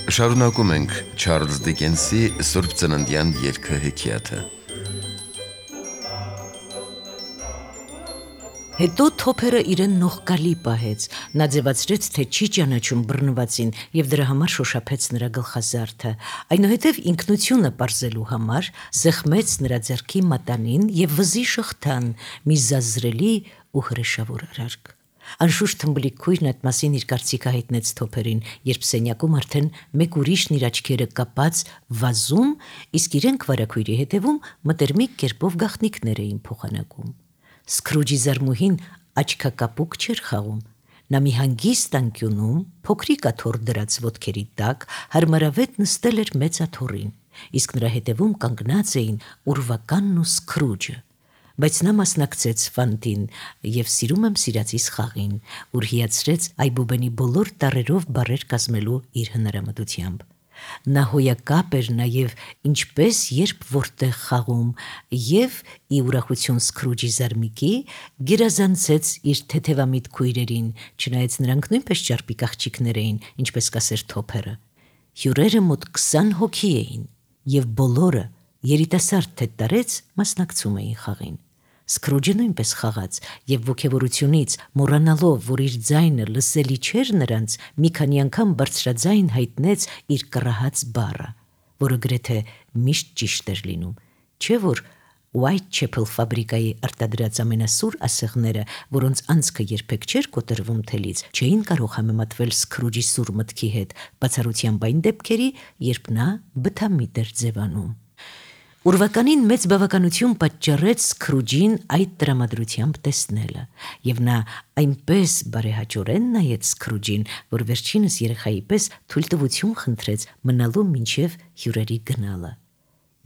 Շարունակում ենք Չարլզ Դիկենսի Սուրբ Ծննդյան երգը հեքիաթը։ Հետո Թոփերը իրեն նողկալի պահեց, նա ձևացրեց, թե չի ճանաչում բռնվածին և դրա համար շոշափեց նրա գլխազարդը, այնուհետև ինքնությունը պարզելու համար սեղմեց նրա ձեռքի մատանին և վզի շղթան, մի զազրելի ու հրեշավոր արարք։ Անշուշտ թմբլիկ քույրն այդ մասին իր կարծիքը հայտնեց Թոփերին, երբ սենյակում արդեն մեկ ուրիշն իր աչքերը կապած վազում, իսկ իրենք վարագույրի հետևում մտերմիկ կերպով գաղտնիքներ էին փոխանակում։ Սքրուջի զարմուհին աչքակապուկ չէր խաղում, նա մի հանգիստ անկյունում, փոքրիկ աթոռ դրած ոտքերի տակ, հարմարավետ նստել էր մեծ աթոռին, իսկ նրա հետևում կանգնած էին Ուրվականն ու Սքրուջը, բայց նա մասնակցեց ֆանտին և սիրում եմ սիրածիս խաղին, ուր հիացրեց այբուբենի բոլոր տառերով բառեր կազմելու իր հնարամտությամբ։ Նա հոյակապ էր նաև ինչպես երբ որտեղ խաղում և ի ուրախություն Սքրուջի զարմիկի գերազանցեց իր թեթևամիտ քույրերին, չնայած նրանք նույնպես ճարպիկ աղջիկներ էին, ինչպես կասեր Թոփերը։ Հյուրերը մոտ 20 հոգի էին և բոլորը երիտասարդ թե տարեց մասնակցում էին խաղին։ Սքրուջը նույնպես խաղաց և ոգևորությունից, մոռանալով, որ իր ձայնը լսելի չէր նրանց, մի քանի անգամ բարձրաձայն հայտնեց իր կռահած բառը, որը գրեթե միշտ ճիշտ էր լինում, չէ՞ որ Whitechapel ֆաբրիկայի արտադրած ամենասուր ասեղները, որոնց անցքը երբեք չէր կոտրվում թելից, չէին կարող համեմատվել Սքրուջի սուր մտքի հետ, բացառությամբ այն դեպքերի, երբ նա բթամիտ էր ձևանում։ Ուրվականին մեծ բավականություն պատճառեց Սքրուջին այդ տրամադրությամբ տեսնելը, և նա այնպես բարեհաճորեն նայեց Սքրուջին, որ վերջինս երեխայի պես թույլտվություն խնդրեց մնալու մինչև հյուրերի գնալը,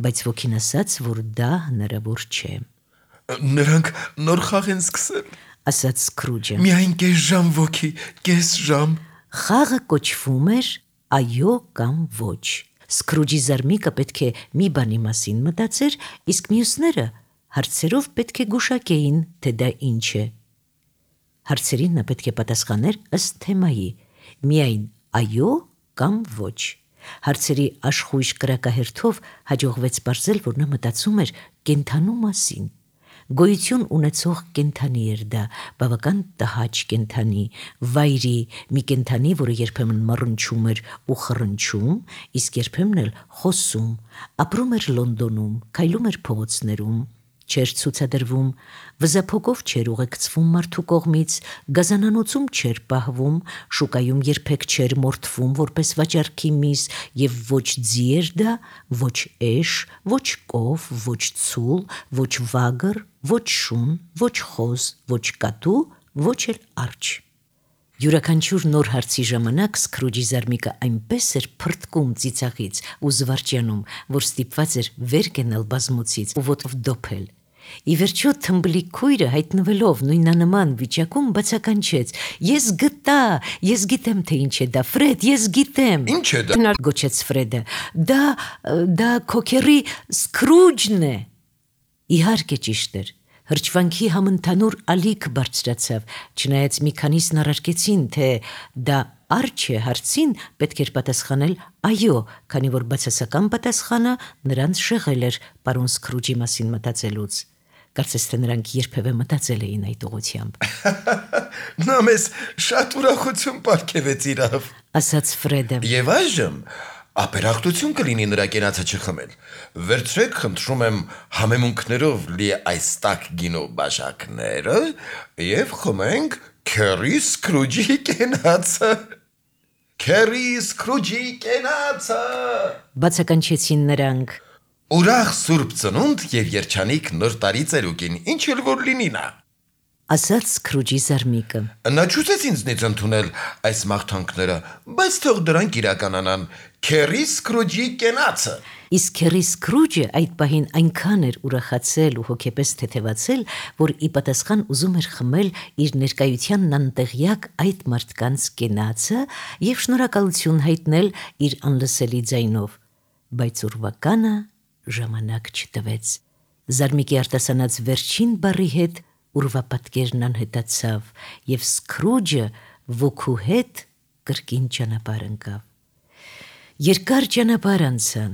բայց ոգին ասաց, որ դա հնարավոր չէ։ Նրանք նոր խաղ են սկսել, ասաց Սքրուջը։ Միայն կես ժամ ոգի, կես ժամ։ Խաղը կոչվում էր այո կամ ոչ։ Սքրուջի զարմիկը պետք է մի բանի մասին մտածեր, իսկ մյուսները հարցերով պետք է գուշակեին, թե դա ինչ է։ Հարցերին նա պետք է պատասխաներ ըստ թեմայի, միայն այո կամ ոչ։ Հարցերի աշխույժ կրակահերթով հաջողվեց պարզել, որ նա մտածում էր կենդանու մասին։ Գոյություն ունեցող կենդանի էր դա, բավական տհաճ կենդանի, վայրի, մի կենդանի, որը երբեմն մռնչում էր ու խռնչում, իսկ երբեմն էլ խոսում, ապրում էր Լոնդոնում, քայլում էր փողոցներում, չէր ցուցադրվում, վզափոկով չէր ուղեկցվում մարդու կողմից, գազանանոցում չէր պահվում, շուկայում երբեք չէր մորթվում որպես վաճառքի միս, և ոչ ձի էր դա, ոչ էշ, ոչ կով, ոչ ցուլ, ոչ վագր, ոչ շուն, ոչ խոզ, ոչ կատու, ոչ էլ արջ։ Յուրաքանչյուր նոր հարցի ժամանակ Սքրուջի զարմիկը այնպես էր փրթկում ծիծաղից ու զվարճանում, որ ստիպված էր վեր կենալ բազմոցից ու ոտով դոփել։ Ի վերջո թմբլիկ քույրը հայտնվելով նույնանման վիճակում բացականչեց. Ես գտա, ես գիտեմ թե ինչ է դա, Ֆրեդ, ես գիտեմ։ Ինչ է դա, գոչեց Ֆրեդը։ Դա քո քեռի Սքրուջն է։ Իհարկե ճիշտ էր։ Հրճվանքի համընդհանուր ալիք բարձրացավ, չնայած մի քանիսն առարկեցին, թե դա արջ է հարցին պետք էր պատասխանել այո, քանի որ բացասական պատասխանը նրանց շեղել էր պարոն Սքրուջի մասին մտածելուց։ Կարծես թե նրանք երբևէ մտածել էին այդ ուղղությամբ։ Նա մեզ շատ ուրախություն պարգևեց իրավ, ասաց Ֆրեդը։ Եվ այժմ ապերախտություն կլինի նրա կենացը չխմել։ Վերցրեք, խնդրում եմ, համեմունքներով լի այս տաք գինու բաժակները և խմենք Քերի Սքրուջի կենացը։ Քերի Սքրուջի կենացը։ Բացականչեցին նրանք։ Ուրախ Սուրբ Ծնունդ և երջանիկ նոր տարի ծերուկին, ինչ էլ որ լինի նա, ասաց Սքրուջի զարմիկը։ Նա չուզեց ինձնից ընդունել այս մաղթանքները, բայց թող դրանք իրականանան, Քերի Սքրուջի կենացը։ Իսկ Քերի Սքրուջը այդ պահին այնքան էր ուրախացել ու հոգեպես թեթևացել, որ ի պատասխան ուզում էր խմել իր ներկայությանն անտեղյակ այդ մարդկանց կենացը և շնորհակալություն հայտնել իր անլսելի ձայնով, բայց Ուրվականը ժամանակ չտվեց։ Զարմիկի արտասանած վերջին բառի հետ ուրվապատկերն անհետացավ, և Սքրուջը ոգու հետ կրկին ճանապարհ ընկավ։ Երկար ճանապարհ անցան,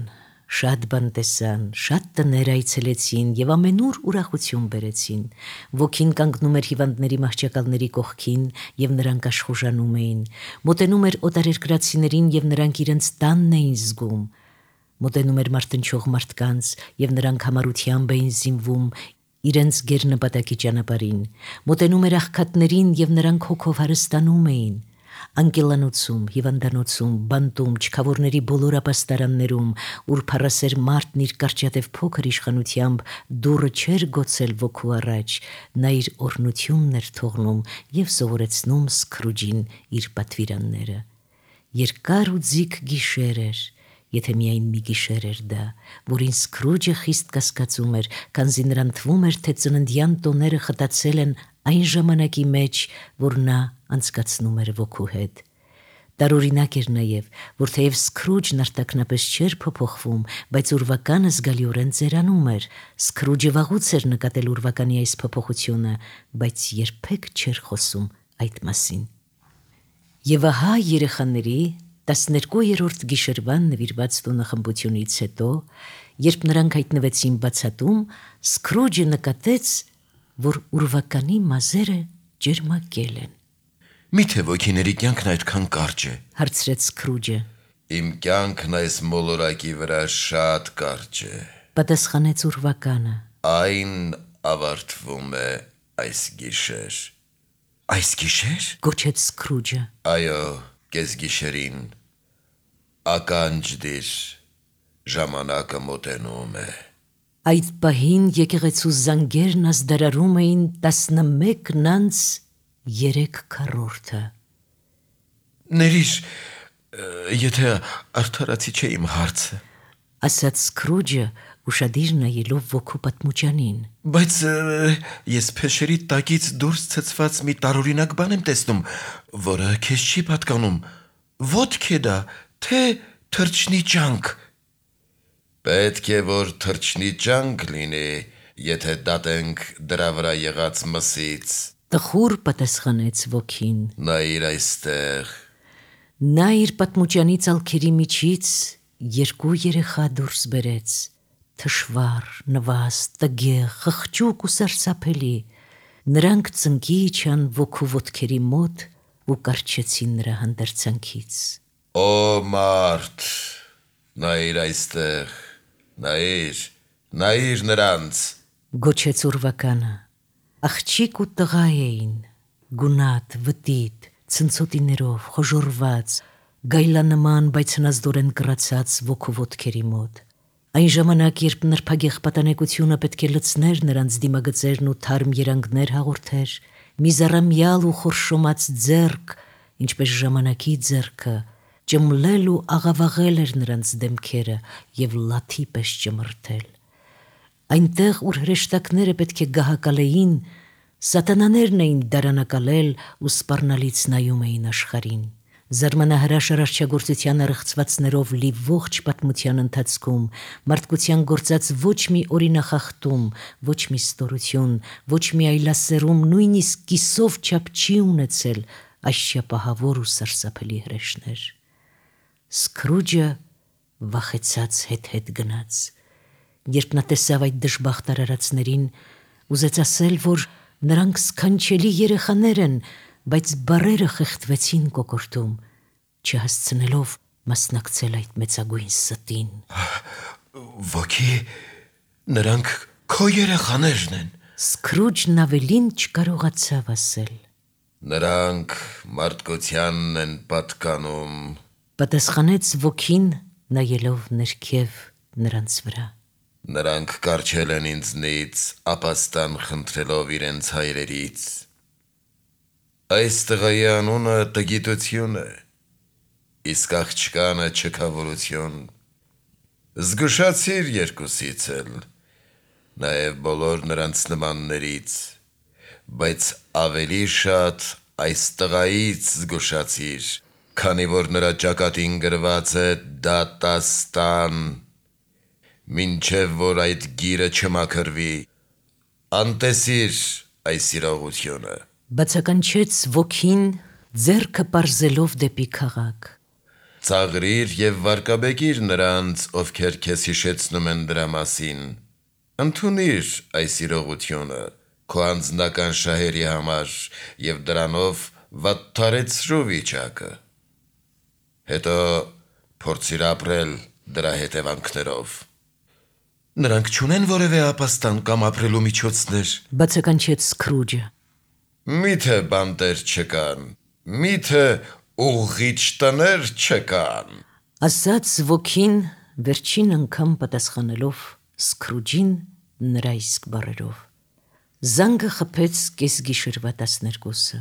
շատ բան տեսան, շատ տներ այցելեցին եւ ամենուր ուրախություն բերեցին։ Ոգին կանգնում էր հիվանդների մահճակալների կողքին եւ նրանք աշխուժանում էին։ Մոտենում էր օտարերկրացիներին եւ նրանք իրենց տանն էին զգում։ Մոտենում էր մարտնչող մարդկանց եւ նրանք համառությամբ էին զինվում իրենց գերնպատակի ճանապարհին։ Մոտենում էր աղքատներին եւ նրանք հոգով հարստանում էին։ Անկելանոցում, հիվանդանոցում, բանտում, չքավորների բոլոր ապաստարաններում, ուր փառասեր մարդն իր կարճատև փոքր իշխանությամբ դուռը չէր գոցել ոգու առաջ, նա իր օրհնությունն էր թողնում եւ սովորեցնում Սքրուջին իր պատվիրանները։ Երկար ու ձիգ գիշեր էր, եթե միայն մի գիշեր էր դա, որին Սքրուջը խիստ կասկածում էր, քանզի նրան թվում էր, թե ծննդյան տոները խտացել են այն ժամանակի մեջ, որ նա անցկացնում էր ոգու հետ։ Տարօրինակ էր նաև, որ թեև Սքրուջն արտաքնապես չէր փոփոխվում, բայց ուրվականը զգալիորեն ծերանում էր։ Սքրուջը վաղուց էր նկատել ուրվականի այս փոփոխությունը, բայց երբեք չէր խոսում այդ մասին։ Եվ ահա երեխաների 12-րդ գիշերվան նվիրված տոնախմբությունից հետո, երբ նրանք հայտնվեցին բացատում, Սքրուջը նկատեց, որ ուրվականի մազերը ջերմակել են։ Միթե ոգիների կյանքն այդքան կարճ է։ Հարցրեց Սքրուջը։ Իմ կյանքն այս մոլորակի վրա շատ կարճ է։ Պատասխանեց ուրվականը։ Այն ավարտվում է այս գիշեր։ Այս գիշեր։ Գոչեց Սքրուջը։ Այո, կեսգիշերին։ Ականջ դիր, ժամանակը մոտենում է։ Այդ պահին եկեղեցու զանգերն ազդարարում էին 11:03 Ներիր, եթե արդարացի չէ իմ հարցը։ ասաց Սքրուջը, ուշադիր նայելով ոգու պատմուճանին։ Բայց ես փեշերի տակից դուրս ցցված մի տարօրինակ բան եմ տեսնում, որը քեզ չի պատկանում։ Ոտք է դա, թե թրջնիճանք։ Պետք է որ թրջնիճանք լինի, եթե դատենք դրա վրա եղած մսից։ Տխուր պատասխանեց ոգին։ Նայիր այստեղ։ Նա իր պատմուճանի ծալքերի միջից երկու երեխա դուրս բերեց, թշվառ, նվաստ, տգեղ, խղճուկ ու սարսափելի։ Նրանք ծնկի իջան ոգու ոտքերի մոտ ու կառչեցին նրա հանդերձանքից։ Օ մարդ, նայիր այստեղ, նայիր նրանց։ Գոչեց ուրվականը։ Աղջիկ ու տղա էին, գունատ, վտիտ, ցնցոտիներով, խոժորված, գայլանման, բայց հնազդորեն կռացած ոգու ոտքերի մոտ։ Այն ժամանակ, երբ նրբագեղ պատանեկությունը պետք է լցներ նրանց դիմագծերն ու թարմ երանգներ հաղորդեր, մի զառամյալ ու խորշոմած ձեռք, ինչպես ժամանակի ձեռքը, ճմլել ու աղավաղել էր նրանց դեմքերը եւ լաթի պես ճմրթել։ Այնտեղ, ուր հրեշտակները պետք է գահակալեին, սատանաներն էին դարանակալել ու սպառնալից նայում էին աշխարհին։ Զարմանահրաշ արարչագործության առեղծվածներով լի ողջ պատմության ընթացքում մարդկության գործած ոչ մի օրինախախտում, ոչ մի ստորություն, ոչ մի այլասերում, նույնիսկ կիսով չափ չի ունեցել այսչափահավոր ու սարսափելի հրեշներ։ Սքրուջը վախեցած հետ գնաց։ Երբ նա տեսավ այդ դժբախտ արարածներին, ուզեց ասել, որ նրանք սքանչելի երեխաներ են, բայց բառերը խեղդվեցին կոկորդում, չհասցնելով մասնակցել այդ մեծագույն ստին։ Ոգի, նրանք քո երեխաներն են։ Սքրուջն ավելին չկարողացավ ասել։ Նրանք մարդկությանն են պատկանում։ Պատասխանեց ոգին, նայելով ներքև նրանց վրա։ Նրանք կառչել են ինձնից, ապաստան խնդրելով իրենց հայրերից։ Այս տղայի անունը տգիտություն է, իսկ աղջկանը չքավորություն։ Զգուշացիր երկուսից էլ, նաև բոլոր նրանց նմաններից, բայց ավելի շատ այս տղայից զգուշացիր, քանի որ նրա ճակատին գրված է դատաստան, մինչև որ այդ գիրը չմաքրվի, անտեսիր այս իրողությունը։ Բացականչեց ոգին, ձեռքը պարզելով դեպի քաղաք։ Ծաղրիր եւ վարկաբեկիր նրանց, ովքեր քեզ հիշեցնում են դրա մասին։ Ընդունիր այս իրողությունը քո անձնական շահերի համար եւ դրանով վատթարեցրու վիճակը։ Հետո փորձիր ապրել դրա հետևանքներով։ Նրանք չունեն որևէ ապաստան կամ ապրելու միջոցներ։ Բացականչեց Սքրուջը։ Միթե բանտեր չկան, միթե ուղղիչ տներ չկան։ Ասաց ոգին վերջին անգամ պատասխանելով Սքրուջին նրա իսկ բառերով։ Զանգը խփեց կեսգիշերվա 12-ը։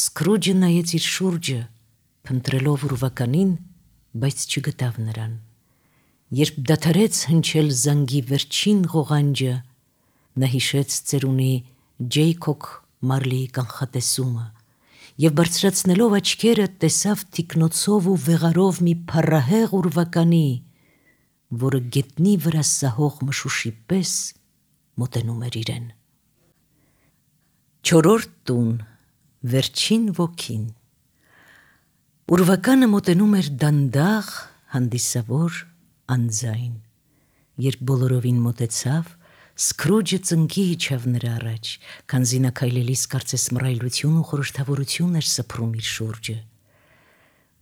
Սքրուջը նայեց իր շուրջը, փնտրելով ուրվականին, բայց չգտավ նրան։ Երբ դադարեց հնչել զանգի վերջին ղողանջը, նա հիշեց ծերունի Ջեյքոբ Մարլիի կանխատեսումը եւ բարձրացնելով աչքերը տեսավ թիկնոցով ու վեղարով մի փառահեղ ուրվականի, որը գետնի վրա սահող մշուշի պես մոտենում էր իրեն։ Չորրորդ տուն, վերջին ոգին։ Ուրվականը մոտենում էր դանդաղ, հանդիսավոր, անձայն։ Երբ բոլորովին մոտեցավ, Սքրուջը ծնկի իջավ նրա առաջ, քանզի նա քայլելիս կարծես մռայլություն ու խորհրդավորություն էր սփռում իր շուրջը։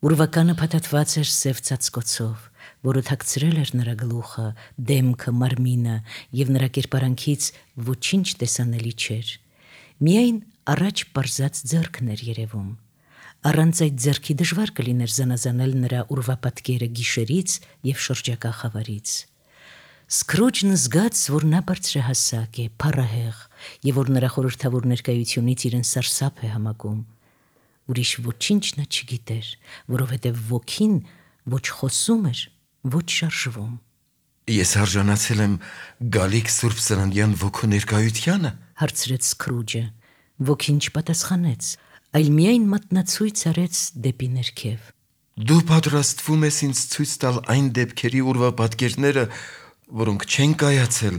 Ուրվականը փաթաթված էր սև ծածկոցով, որը թաքցրել էր նրա գլուխը, դեմքը, մարմինը եւ նրա կերպարանքից ոչինչ տեսանելի չէր։ Միայն առաջ պարզած ձեռքն էր երևում։ Առանց այդ ձեռքի դժվար կլիներ զանազանել նրա ուրվապատկերը գիշերից եւ շրջակա խավարից։ Սքրուջն զգաց, որ նա բարձրահասակ է, փառահեղ, եւ որ նրա խորհրդավոր ներկայությունից իրեն սարսափ է համակում։ Ուրիշ ոչինչ նա չգիտեր, որովհետեւ ոգին ոչ խոսում էր, ոչ շարժվում։ Ես արժանացել եմ գալիք Սուրբ Ծննդյան ոգու ներկայությանը, հարցրեց Սքրուջը։ Ոգին չպատասխանեց, այլ միայն մատնացույց արեց դեպի ներքև։ Դու պատրաստվում ես ինձ ցույց տալ այն դեպքերի ուրվապատկերները, որոնք չեն կայացել,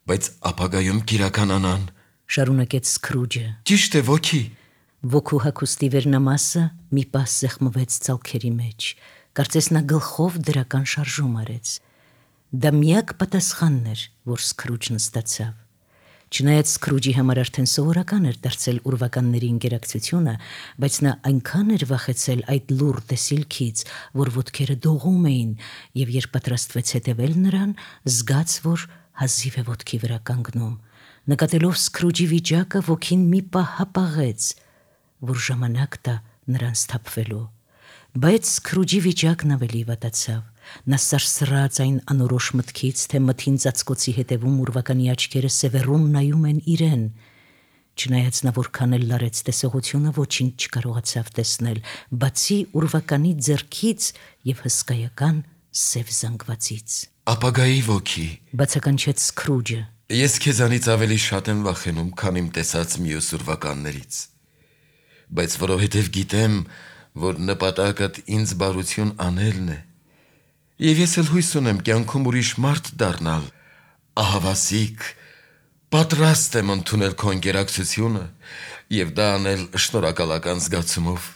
բայց ապագայում կիրականանան, շարունակեց Սքրուջը։ Ճիշտ է, ոգի։ Ոգու հագուստի վերնամասը մի պահ սեղմվեց ցալքերի մեջ, կարծես նա գլխով դրական շարժում արեց։ Դա միակ պատասխանն էր, որ Սքրուջն ստացավ։ Չնայած Սքրուջի համար արդեն սովորական էր դարձել ուրվականների ինտերակցիոնը, բայց նա այնքան էր վախեցել այդ լուռ տեսիլքից, որ ոտքերը դողում էին, եւ երբ պատրաստվեց հետևել նրան, զգաց, որ հազիվ է ոտքի վրա կանգնում։ Նկատելով Սքրուջի վիճակը, ոգին մի պահ հապաղեց, որ ժամանակ տա նրան սթափվելու։ Բայց Սքրուջի վիճակն ավելի վատացավ։ Նա սարսռաց այն անորոշ մտքից, թե մթին ծածկոցի հետևում ուրվականի աչքերը սևեռուն նայում են իրեն։ Չնայած նա որքան էլ լարեց տեսողությունը, ոչինչ չկարողացավ տեսնել, բացի ուրվականի ձեռքից եւ հսկայական սև զանգվածից։ Ապագայի ոգի, բացականչեց Սքրուջը։ Ես քեզանից ավելի շատ եմ վախենում, քան իմ տեսած մյուս ուրվականներից, բայց որովհետև գիտեմ, որ նպատակդ ինձ բարություն անելն է, եւ ես էլ հույս ունեմ կյանքում ուրիշ մարդ դառնալ, ահավասիկ, պատրաստ եմ ընդունել քո ինտերակցիոնը եւ դա անել շնորհակալական զգացումով։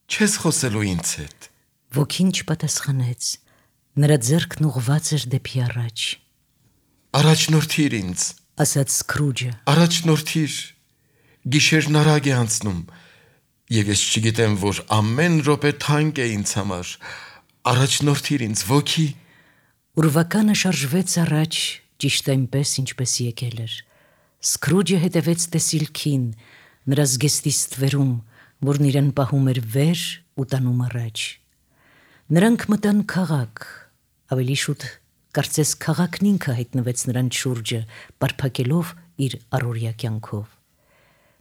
Չես խոսելու ինձ հետ։ Ոգին չպատասխանեց։ Նրա ձեռքն ուղղված էր դեպի առաջ։ Առաջնորդիր ինձ, ասաց Սքրուջը։ Առաջնորդիր, գիշերն արագ է անցնում, եւ ես չգիտեմ, որ ամեն րոպե թանկ է ինձ համար։ Առաջնորդիր ինձ, ոգի։ Ուրվականը շարժվեց առաջ, ճիշտ այնպես, ինչպես եկել էր։ Սքրուջը հետևեց տեսիլքին, նրա զգեստի ստվերում, որն իրեն պահում էր վեր ու տանում առաջ։ Նրանք մտան քաղաք, ավելի շուտ կարծես քաղաքն ինքը հայտնվեց նրան շուրջը, պարփակելով իր առօրյա կյանքով։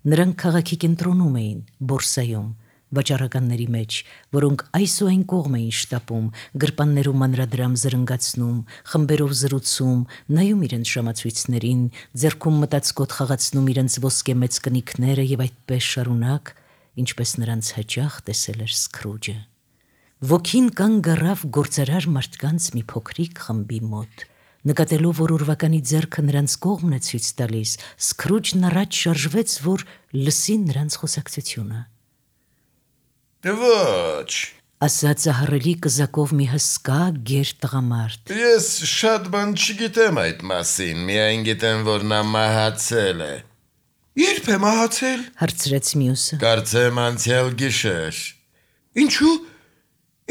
Նրանք քաղաքի կենտրոնում էին, բորսայում, վաճառականների մեջ, որոնք այս ու այն կողմ էին շտապում, գրպաններում մանրադրամ զրնգացնում, խմբերով զրուցում, նայում իրենց ժամացույցներին, ձեռքում մտածկոտ խաղացնում իրենց ոսկե մեծ կնիքները եւ այդպես շարունակ, ինչպես նրանց հաճախ տեսել էր Սքրուջը։ Ոգին կանգ առավ գործարար մարդկանց մի փոքրիկ խմբի մոտ։ Նկատելով, որ ուրվականի ձեռքը նրանց կողմն է ցույց տալիս, Սքրուջն առաջ շարժվեց, որ լսի նրանց խոսակցությունը։ Ոչ, ասաց ահռելի կզակով մի հսկա գեր տղամարդ։ Ես շատ բան չգիտեմ այդ մասին, միայն գիտեմ, որ նա մահացել է։ Երբ է մահացել։ Հարցրեց մյուսը։ Կարծեմ անցյալ գիշեր։ Ինչու։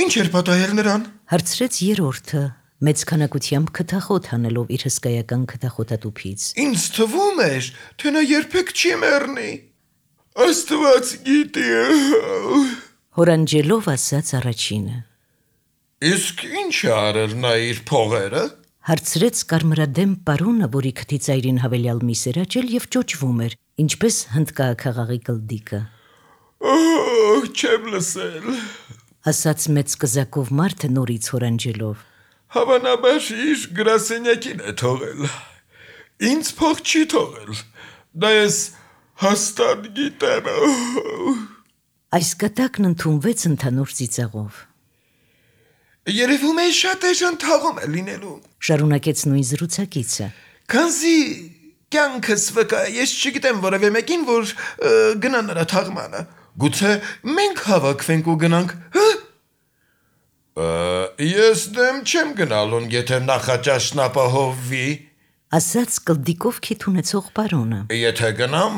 Ինչ էր պատահել նրան։ Հարցրեց երրորդը, մեծ քանակությամբ քթախոտ հանելով իր հսկայական քթախոտատուփից։ Ինձ թվում էր, թե նա երբեք չի մեռնի։ Աստված գիտի։ Հորանջելով ասաց առաջինը։ Իսկ ինչ արել նա իր փողերը։ Հարցրեց կարմրադեմ պարոնը, որի քթի ծայրին հավելյալ միս էր աճել եւ ճոճվում էր, ինչպես հնդկահաղի կլդիկը։ Չեմ լսել։ Ասաց մեծ կզակով մարդը նորից հորանջելով։ Հավանաբար իր գրասենյակին է թողել։ Ինձ փող չի թողել։ Դա ես հաստատ գիտեմ։ Այս կտակն ընդունվեց ընդհանուր ծիծաղով։ Երևում է շատ էժան թաղում է լինելու։ Շարունակեց նույն զրուցակիցը։ Քանզի կյանքս վկա, ես չգիտեմ որևէ մեկին, որ գնա նրա թաղմանը։ Գուցե մենք հավաքվենք ու գնանք, հա։ Ես դեմ չեմ գնալուն, եթե նախաճաշն ապահովվի։ Ասաց կլդիկով քիթ ունեցող պարոնը։ Եթե գնամ,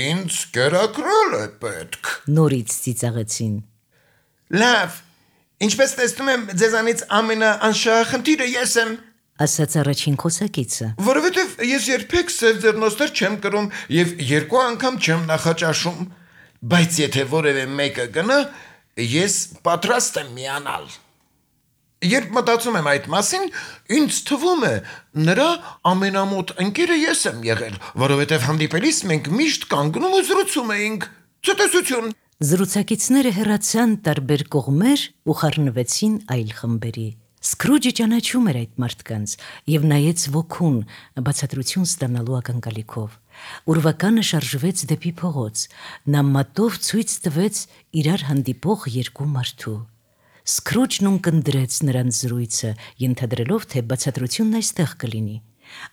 ինձ կերակրել է պետք։ Նորից ծիծաղեցին։ Լավ, ինչպես տեսնում եմ, ձեզանից ամենաանշահ խնդիրը ես եմ։ Ասաց առաջին խոսակիցը։ Որովհետև ես երբեք սև ձեռնոցներ չեմ կրում եւ 2 անգամ չեմ նախաճաշում, բայց եթե որևէ մեկը գնա, ես պատրաստ եմ միանալ։ Երբ մտածում եմ այդ մասին, ինձ թվում է, նրա ամենամոտ ընկերը ես եմ եղել, որովհետև հանդիպելիս մենք միշտ կանգնում ու զրուցում էինք։ Ցտեսություն։ Զրուցակիցները հեռացան տարբեր կողմեր ու խառնվեցին այլ խմբերի։ Սկրուջը ճանաչում էր այդ մարդկանց եւ նայեց ոգուն, բացատրություն ստանալու ակնկալիքով։ Ուրվականը շարժվեց դեպի փողոց։ Նա մատով ցույց տվեց իրար հանդիպող 2 մարդու։ Սկրուջն ունկնդրեց նրանց զրույցը, ենթադրելով, թե բացատրությունն այստեղ կլինի։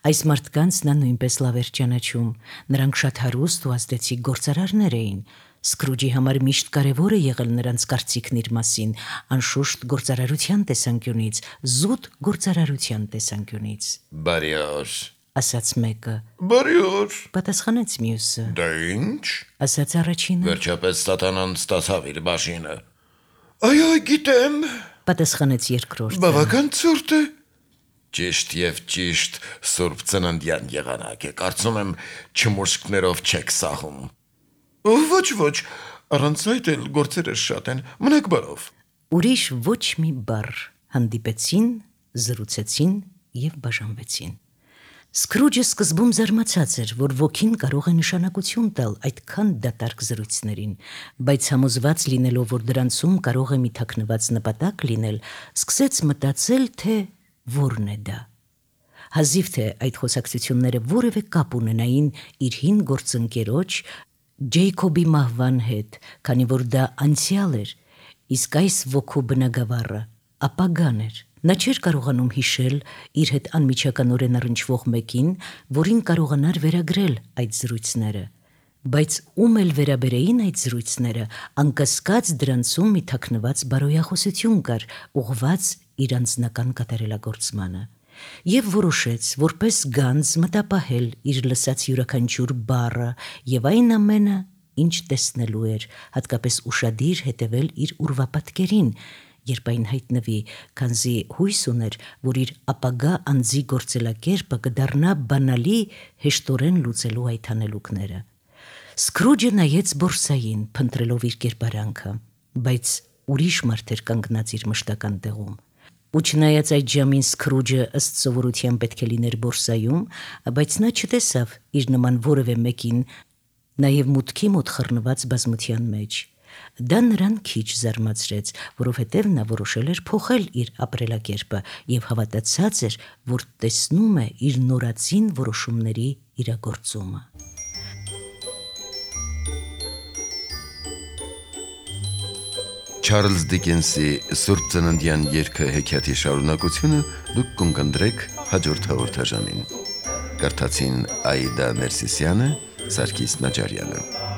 Այս մարդկանց նա նույնպես լավ էր ճանաչում։ Նրանք շատ հարուստ ու ազդեցիկ գործարարներ էին։ Սկրուջի համար միշտ կարևոր է եղել նրանց կարծիքն իր մասին, անշուշտ գործարարության տեսանկյունից, զուտ գործարարության տեսանկյունից։ Բարի օր, ասաց մեկը։ Բարի օր։ Պատասխանեց մյուսը։ Դա ինչ։ Ասաց առաջինը։ վերջապես սատանան ստացավ իր բաժինը։ Այո, գիտեմ։ Պատասխանեց երկրորդը։ Բավական ցուրտ է։ Ճիշտ եւ ճիշտ Սուրբ Ծննդյան եղանակ է, կարծում եմ չմուշկներով չեք սահում։ Ոչ, առանց այդ էլ գործերը շատ են, մնաք բարով։ Ուրիշ ոչ մի բառ հանդիպեցին, զրուցեցին եւ բաժանվեցին։ Սկրուջը սկզբում զարմացած էր, որ ոգին կարող է նշանակություն տալ այդքան դատարկ զրույցներին, բայց համոզված լինելով, որ դրանցում կարող է մի թաքնված նպատակ լինել, սկսեց մտածել, թե որն է դա։ Հազիվ թե այդ խոսակցությունները որևէ կապ ունենային իր հին գործընկերոջ Ջեյքոբի մահվան հետ, քանի որ դա անցյալ էր, իսկ այս ոգու բնագավառը ապագան էր։ Նա չէր կարողանում հիշել իր հետ անմիջականորեն առնչվող մեկին, որին կարողանար վերագրել այդ զրույցները, բայց ում էլ վերաբերեին այդ զրույցները, անկասկած դրանցում մի թաքնված բարոյախոսություն կար, ուղղված իր անձնական կատարելագործմանը։ Եվ որոշեց, որպես գանձ մտապահել իր լսած յուրաքանչյուր բառը եւ այն ամենը, ինչ տեսնելու էր, հատկապես ուշադիր հետևել իր ուրվապատկերին, երբ այն հայտնվի, քանզի հույս ուներ, որ իր ապագա անձի գործելակերպը կդառնա բանալի հեշտորեն լուծելու այդ հանելուկները։ Սկրուջը նայեց բորսային, փնտրելով իր կերպարանքը, բայց ուրիշ մարդ էր կանգնած իր մշտական տեղում։ Ու չնայած այդ ժամին Սկրուջը ըստ սովորության պետք է լիներ բորսայում, բայց նա չտեսավ իր նման որևէ մեկին, նաև մուտքի մոտ խռնված բազմության մեջ։ Դա նրան քիչ զարմացրեց, որովհետև նա որոշել էր փոխել իր ապրելակերպը եւ հավատացած էր, որ տեսնում է իր նորածին որոշումների իրագործումը։ Չարլզ Դիկենսի Սուրբ Ծննդյան երգը հեքիաթի շարունակությունը դուք կընկնդրեք հաջորդ հաղորդաշարին։ Կարդացին Աիդա Ներսիսյանը, Սարգիս Նաջարյանը։